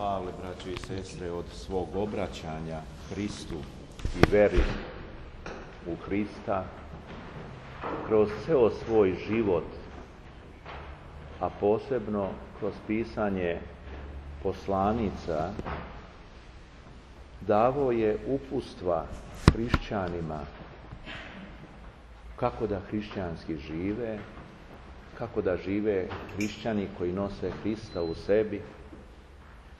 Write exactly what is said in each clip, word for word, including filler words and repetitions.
Pavle, braćo i sestre, od svog obraćanja Hristu i veri u Hrista, kroz ceo svoj život, a posebno kroz pisanje poslanica, davao je uputstva hrišćanima kako da hrišćanski žive, kako da žive hrišćani koji nose Hrista u sebi,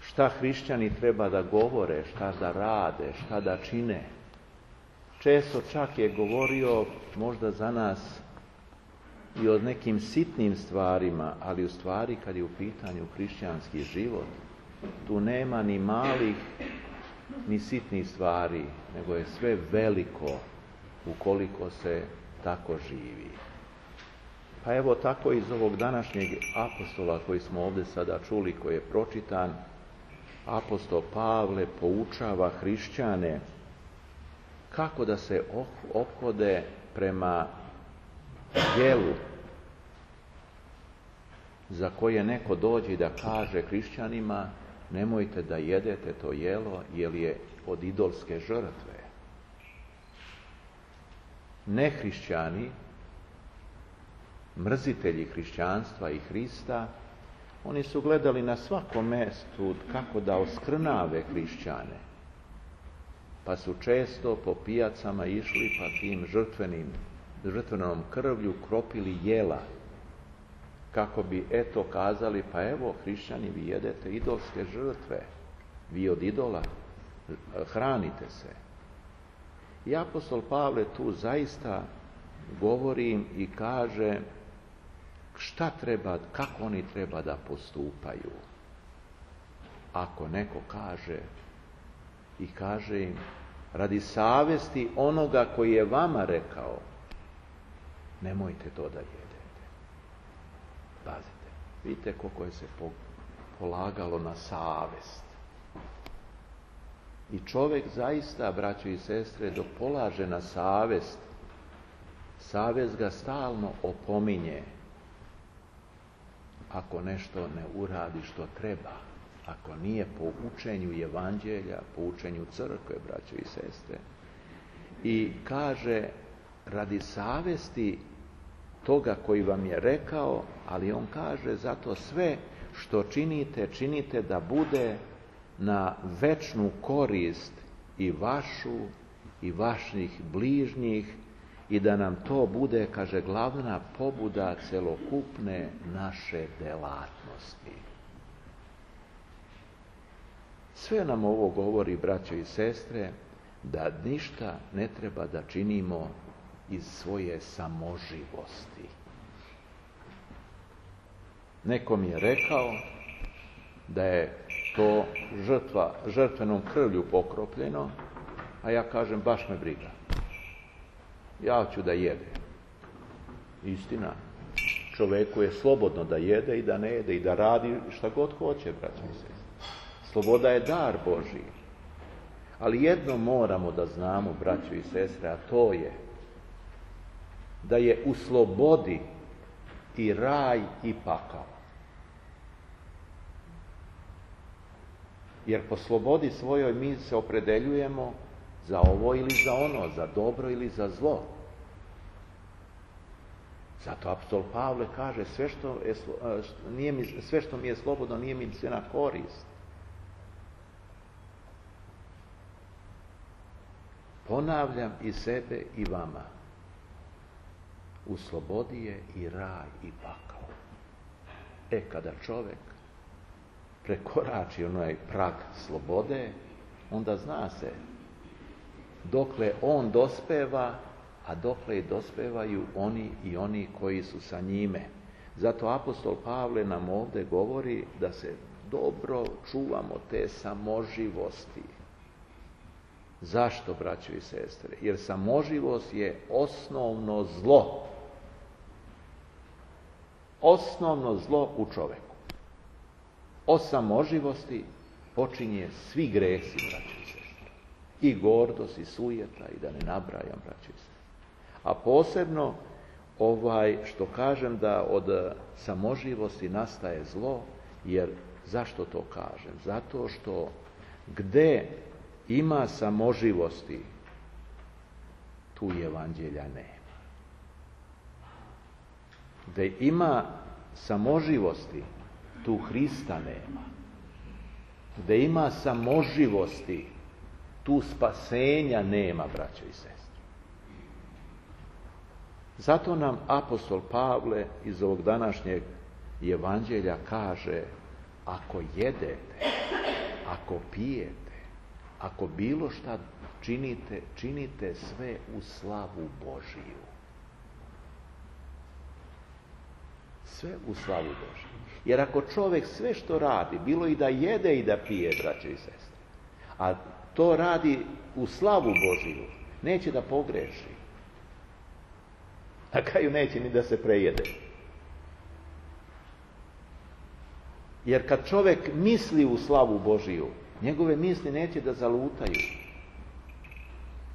šta hrišćani treba da govore, šta da rade, šta da čine. Često čak je govorio možda za nas i o nekim sitnim stvarima, ali u stvari kad je u pitanju hrišćanski život, tu nema ni malih ni sitnih stvari, nego je sve veliko ukoliko se tako živi. Pa evo tako iz ovog današnjeg apostola koji smo ovdje sada čuli, koji je pročitan, apostol Pavle poučava hrišćane kako da se ophode prema jelu za koje neko dođe i da kaže hrišćanima: nemojte da jedete to jelo jer je od idolske žrtve. Nehrišćani, mrzitelji hrišćanstva i Hrista, oni su gledali na svakom mjestu kako da oskrnave hrišćane, pa su često po pijacama išli pa tim žrtvenim, žrtvenom krvlju kropili jela, kako bi eto kazali: pa evo hrišćani, vi jedete idolske žrtve, vi od idola hranite se. I apostol Pavle tu zaista govori i kaže šta treba, kako oni treba da postupaju. Ako neko kaže i kaže im radi savesti onoga koji je vama rekao, nemojte to da jedete. Pazite, vidite koliko je se polagalo na savest. I čovjek zaista, braćo i sestre, dok polaže na savest, savest ga stalno opominje ako nešto ne uradi što treba, ako nije po učenju evanđelja, po učenju crkve, braćo i sestre. I kaže radi savesti toga koji vam je rekao, ali on kaže zato sve što činite, činite da bude na večnu korist i vašu i vaših bližnjih i da nam to bude, kaže, glavna pobuda celokupne naše delatnosti. Sve nam ovo govori, braćo i sestre, da ništa ne treba da činimo iz svoje samoživosti. Neko mi je rekao da je to žrtva, žrtvenom krvlju pokropljeno, a ja kažem baš me briga. Ja ću da jedem. Istina, čoveku je slobodno da jede i da ne jede i da radi šta god hoće, braćo i sestre. Sloboda je dar Božji. Ali jedno moramo da znamo, braćo i sestre, a to je da je u slobodi i raj i pakao. Jer po slobodi svojoj mi se opredeljujemo za ovo ili za ono, za dobro ili za zlo. Zato apostol Pavle kaže sve što, je, nije mi, sve što mi je slobodno nije mi sve na korist. Ponavljam i sebe i vama. U slobodi je i raj i pakao. E, kada čovjek prekorači onaj prag slobode, onda zna se dokle on dospeva, a dokle i dospevaju oni i oni koji su sa njime. Zato apostol Pavle nam ovdje govori da se dobro čuvamo te samoživosti. Zašto, braćo i sestre? Jer samoživost je osnovno zlo. Osnovno zlo u čoveku. O samoživosti počinje svi gresi, braćo i sestre. I gordost, i sujeta, i da ne nabrajam, braćo i sestre. A posebno ovaj što kažem da od samoživosti nastaje zlo, jer Zašto to kažem? Zato što gde ima samoživosti, tu evanđelja nema. Gde ima samoživosti, tu Hrista nema. Gde ima samoživosti, tu spasenja nema, braćo i sestre. Zato nam apostol Pavle iz ovog današnjeg evanđelja kaže: ako jedete, ako pijete, ako bilo šta činite, činite sve u slavu Božiju. Sve u slavu Božiju. Jer ako čovjek sve što radi, bilo i da jede i da pije, braćo i sestre, a to radi u slavu Božiju, neće da pogreši. Na kraju neće ni da se prejede. Jer kad čovjek misli u slavu Božiju, njegove misli neće da zalutaju.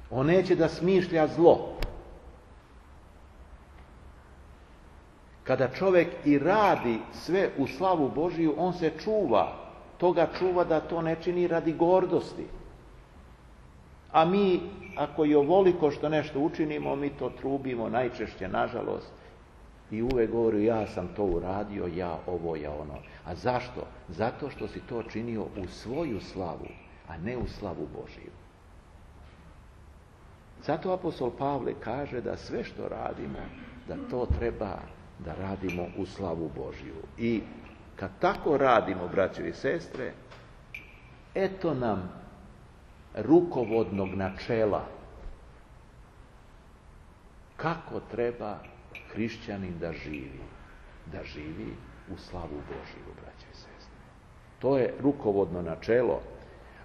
On neće da smišlja zlo. Kada čovjek i radi sve u slavu Božiju, on se čuva. Toga čuva da to ne čini radi gordosti. A mi, ako i ovoliko što nešto učinimo, mi to trubimo najčešće, nažalost, i uvek govori: ja sam to uradio, ja ovo, ja ono. A zašto? Zato što si to činio u svoju slavu, a ne u slavu Božiju. Zato apostol Pavle kaže da sve što radimo, da to treba da radimo u slavu Božiju. I kad tako radimo, braćo i sestre, eto nam rukovodnog načela kako treba hrišćanin da živi. Da živi u slavu Božiju, braćo i sestre. To je rukovodno načelo.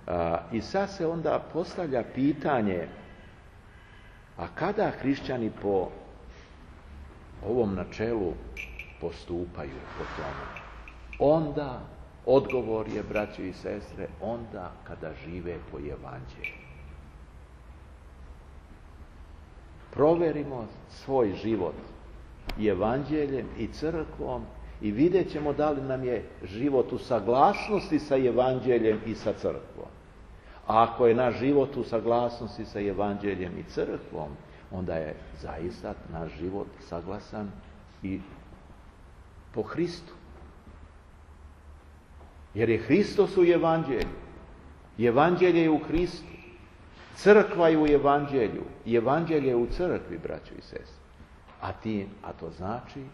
A, I sad se onda postavlja pitanje: a kada hrišćani po ovom načelu postupaju po tome? Onda, odgovor je, braćo i sestre, onda kada žive po evanđelju. Proverimo svoj život i evanđeljem i crkvom i vidjet ćemo da li nam je život u saglasnosti sa evanđeljem i sa crkvom. A ako je naš život u saglasnosti sa evanđeljem i crkvom, onda je zaista naš život saglasan i po Hristu. Jer je Hristos u evanđelju. Evanđelje je u Hristu. Crkva je u evanđelju. I evanđelje je u crkvi, braćo i sestre. A, ti, a to znači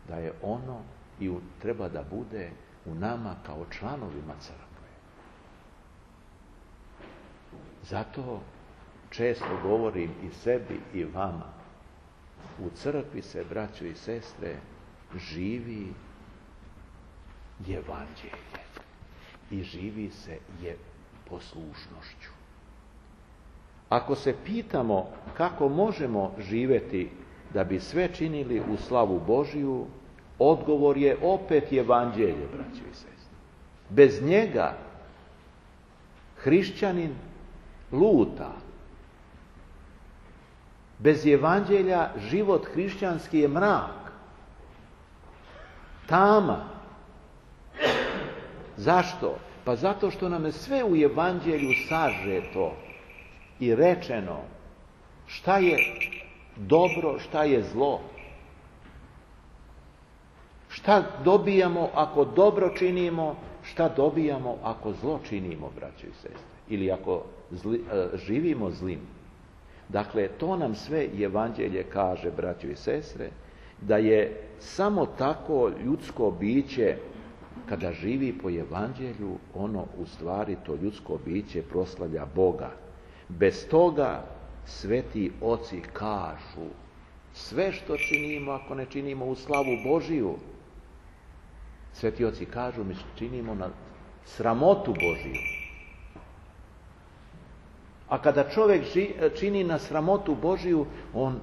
da je ono i u, treba da bude u nama kao članovima crkve. Zato često govorim i sebi i vama: u crkvi se, braćo i sestre, živi evanđelje i živi se je poslušnošću. Ako se pitamo kako možemo živjeti da bi sve činili u slavu Božiju, odgovor je opet evanđelje, braćo i sestre. Bez njega hrišćanin luta. Bez evanđelja život hrišćanski je mrak, tama. Zašto? Pa zato što nam je sve u evanđelju sažeto i rečeno šta je dobro, šta je zlo. Šta dobijamo ako dobro činimo, šta dobijamo ako zlo činimo, braćo i sestre, ili ako zli, živimo zlim. Dakle, to nam sve evanđelje kaže, braćo i sestre, da je samo tako ljudsko biće, kada živi po evanđelju, ono u stvari to ljudsko biće proslavlja Boga. Bez toga sveti oci kažu: sve što činimo, ako ne činimo u slavu Božiju, sveti oci kažu, mi činimo na sramotu Božiju. A kada čovjek čini na sramotu Božiju, on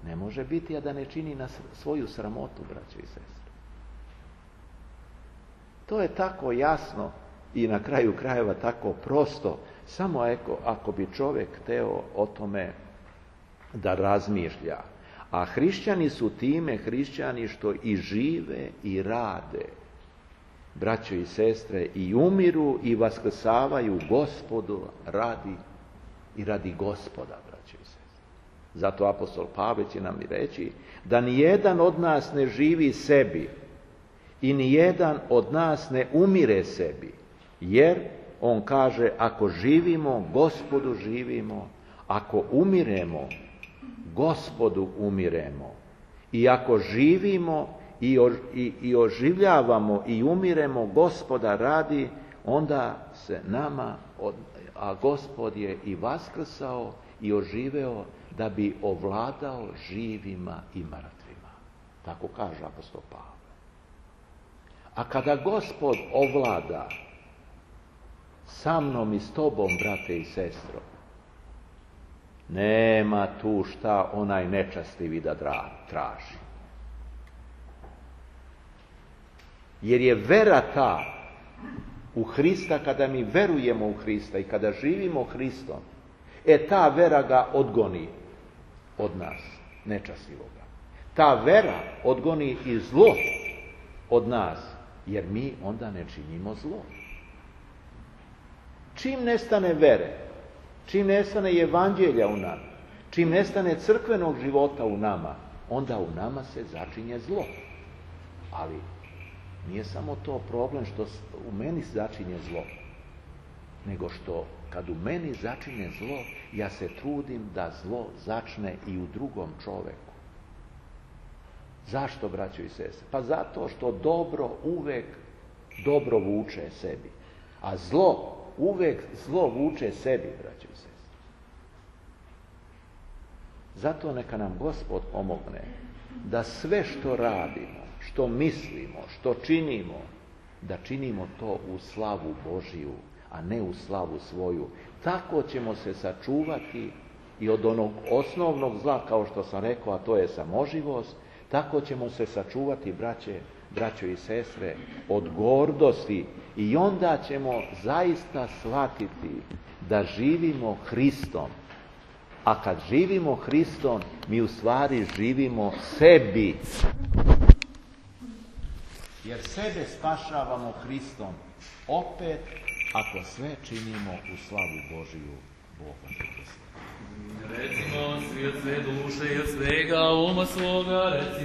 ne može biti, a da ne čini na svoju sramotu, braćo i sestre. To je tako jasno i na kraju krajeva tako prosto, samo ako, ako bi čovjek hteo o tome da razmišlja. A hrišćani su time hrišćani što i žive i rade braćo i sestre, i umiru i vaskrsavaju Gospodu radi i radi Gospoda, braćo i sestre. Zato apostol Pavle će nam i reći da nijedan od nas ne živi sebi i nijedan od nas ne umire sebi, jer on kaže, ako živimo, Gospodu živimo, ako umiremo, Gospodu umiremo. I ako živimo i, o, i, i oživljavamo i umiremo Gospoda radi, onda se nama, a Gospod je i vaskrsao i oživeo da bi ovladao živima i mrtvima. Tako kaže apostol Pavle. A kada Gospod ovlada sa mnom i s tobom, brate i sestro, nema tu šta onaj nečastivi da traži. Jer je vera ta u Hrista, kada mi verujemo u Hrista i kada živimo Hristom, e ta vera ga odgoni od nas, nečastivoga. Ta vera odgoni i zlo od nas, jer mi onda ne činimo zlo. Čim nestane vere, čim nestane evanđelja u nama, čim nestane crkvenog života u nama, onda u nama se začinje zlo. Ali nije samo to problem što u meni začinje zlo, nego što kad u meni začinje zlo, ja se trudim da zlo začne i u drugom čoveku. Zašto, braćo i sestre? Pa zato što dobro uvek dobro vuče sebi, a zlo uvek zlo vuče sebi, braćo i sestre. Zato neka nam Gospod pomogne da sve što radimo, što mislimo, što činimo, da činimo to u slavu Božiju, a ne u slavu svoju. Tako ćemo se sačuvati i od onog osnovnog zla, kao što sam rekao, a to je samoživost, tako ćemo se sačuvati, braće, braćo i sestre, od gordosti, i onda ćemo zaista shvatiti da živimo Hristom. A kad živimo Hristom, mi u stvari živimo sebi. Jer sebe spašavamo Hristom opet, ako sve činimo u slavu Božiju. Boga. Recimo svi od sve duše i od svega uma svoga, recimo